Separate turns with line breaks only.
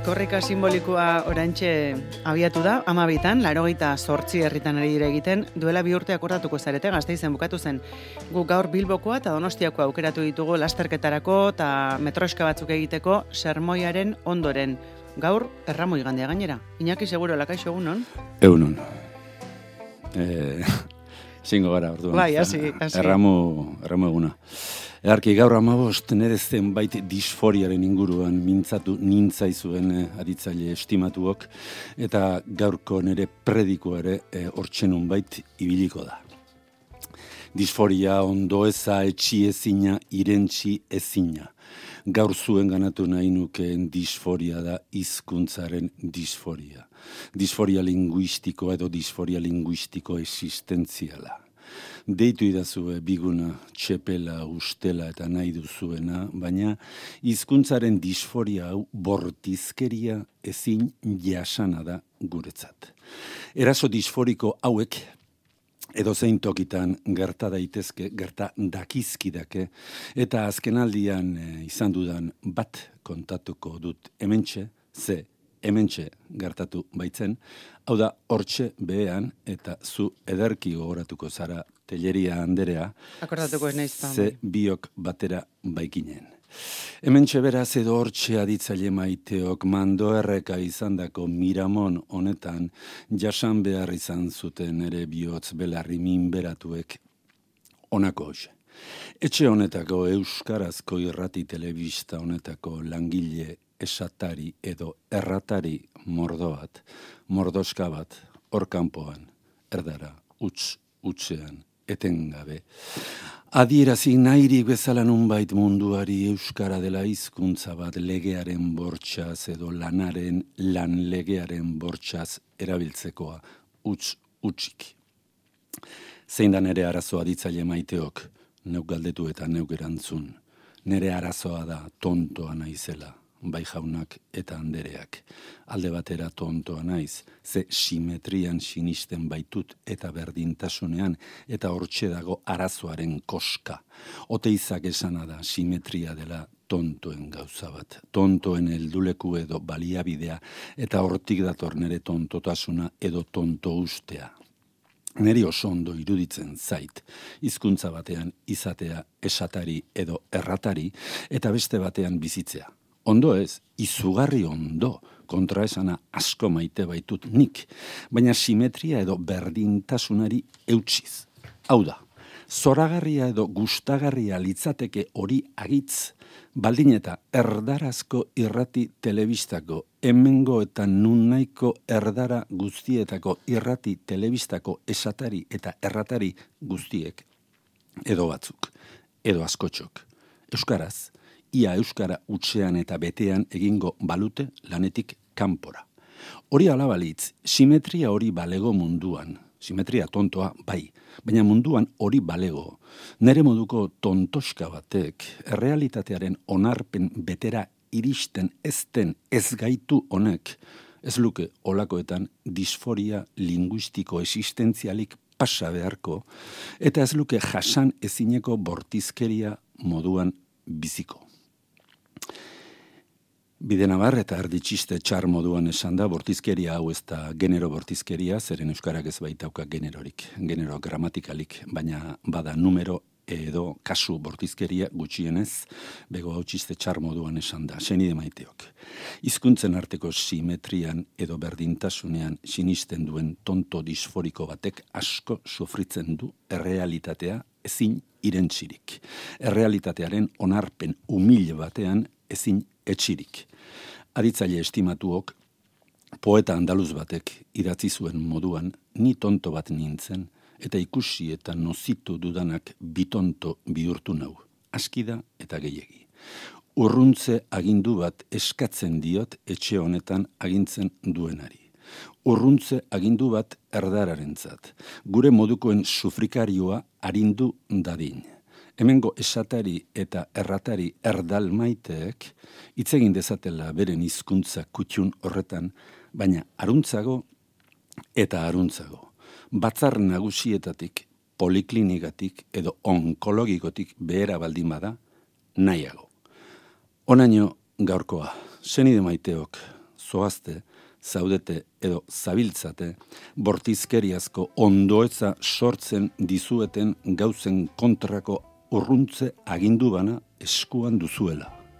Korrika simbolikoa oraintxe abiatu da, 12an, 88 herritan ari dira egiten, duela 2 urte akordatuko zarete, Gasteizen bukatu zen. Gu gaur Bilbokoa eta Donostiakoa aukeratu ditugu lasterketarako eta metroska batzuk egiteko sermoiaren ondoren. Gaur, erramoi igandea gainera. Iñaki seguro, lakaixo egunon?
Egunon. Zingo gara, orduan.
Bai, hasi.
Erramu eguna. Egarki, gaur 15 nire zenbait disforiaren inguruan mintzatu nintzaizuen aditzaile estimatuok, eta gaurko nire predikoa ere hortxenun bait ibiliko da. Disforia ondo eza etxi ezina, irentxi ezina. Gaur zuen ganatu nahi nukeen disforia da hizkuntzaren disforia. Disforia linguistiko edo disforia linguistiko existentziala. Deitu idazue biguna, txepela, ustela eta nahi duzuena, baina hizkuntzaren disforia hau bortizkeria ezin jasana da guretzat. Eraso disforiko hauek edo zein tokitan gerta daitezke, gerta dakizkidake, eta azkenaldian izan dudan bat kontatuko dut hementxe, hementxe gertatu baitzen, hau da hortxe behean, eta zu ederki gogoratuko zara Telleria Anderea,
akordatuko ez naiz da.
Ze biok batera baikinen. Hementxe beraz edo hortxe aditzaile maiteok mando erreka izandako Miramon honetan jasan behar izan zuten ere bihotz belarri minberatuek honako hoxe. Etxe honetako euskarazko irrati telebista honetako langile esatari edo erratari mordoska bat, hor kanpoan, erdara, utzean, etengabe. Adierazi nahirik bezala nunbait munduari euskara dela hizkuntza bat legearen bortxaz edo lan legearen bortxaz erabiltzekoa utsik. Zein da nere arazoa ditzaile maiteok, neuk galdetu eta neuk erantzun. Nere arazoa da tontoa naizela, bai jaunak eta andereak. Alde batera tontoa naiz, ze simetrian sinisten baitut eta berdintasunean, eta hortxe dago arazoaren koska. Oteizak esana da simetria dela tontoen gauza bat. Tontoen helduleku edo baliabidea, eta hortik dator nere tontotasuna edo tonto ustea. Neri oso ondo iruditzen zait, hizkuntza batean izatea esatari edo erratari, eta beste batean bizitzea. Ondo ez, izugarri ondo, kontraesana asko maite baitut nik, baina simetria edo berdintasunari eutsiz. Hau da, zoragarria edo gustagarria litzateke hori agitz, baldin eta erdarazko irrati telebistako, hemengo eta nunnaiko erdara guztietako irrati telebistako esatari eta erratari guztiek, edo batzuk, edo askotxok, euskaraz, ia euskara utzean eta betean egingo balute lanetik kanpora. Hori alabalitz, simetria hori balego munduan, simetria tontoa bai, baina munduan hori balego. Nere moduko tontoska batek, errealitatearen onarpen betera iristen ezten ez gaitu honek, ez luke olakoetan disforia linguistiko existentzialik pasa beharko, eta ez luke jasan ezineko bortizkeria moduan biziko. Bidenabar eta erditxiste txar moduan esan da, bortizkeria hau ez da genero bortizkeria, zeren euskarak ez baitauka generorik, genero gramatikalik, baina bada numero edo kasu bortizkeria gutxienez, bego hau txiste txar moduan esan da, senide maiteok. Hizkuntzen arteko simetrian edo berdintasunean sinisten duen tonto disforiko batek asko sufritzen du errealitatea ezin irentzirik. Errealitatearen onarpen umil batean ezin etxirik. Aditzaile estimatuok, poeta andaluz batek idatzi zuen moduan, ni tonto bat nintzen, eta ikusi eta nozitu dudanak bitonto bihurtu nau, askida eta gehiegi. Urruntze agindu bat eskatzen diot etxe honetan agintzen duenari. Urruntze agindu bat erdararentzat, gure modukoen sufrikarioa arindu dadin. Hemengo esatari eta erratari erdal maiteek hitz egin dezatela beren hizkuntza kutxun horretan, baina aruntzago eta aruntzago. Batzar nagusietatik, poliklinikatik edo onkologikotik behera baldin bada, nahiago. Onaino gaurkoa, senide maiteok, zoazte, zaudete edo zabiltzate, bortizkeriazko ondoetza sortzen dizueten gauzen kontrako urruntze agindu bana eskuan duzuela.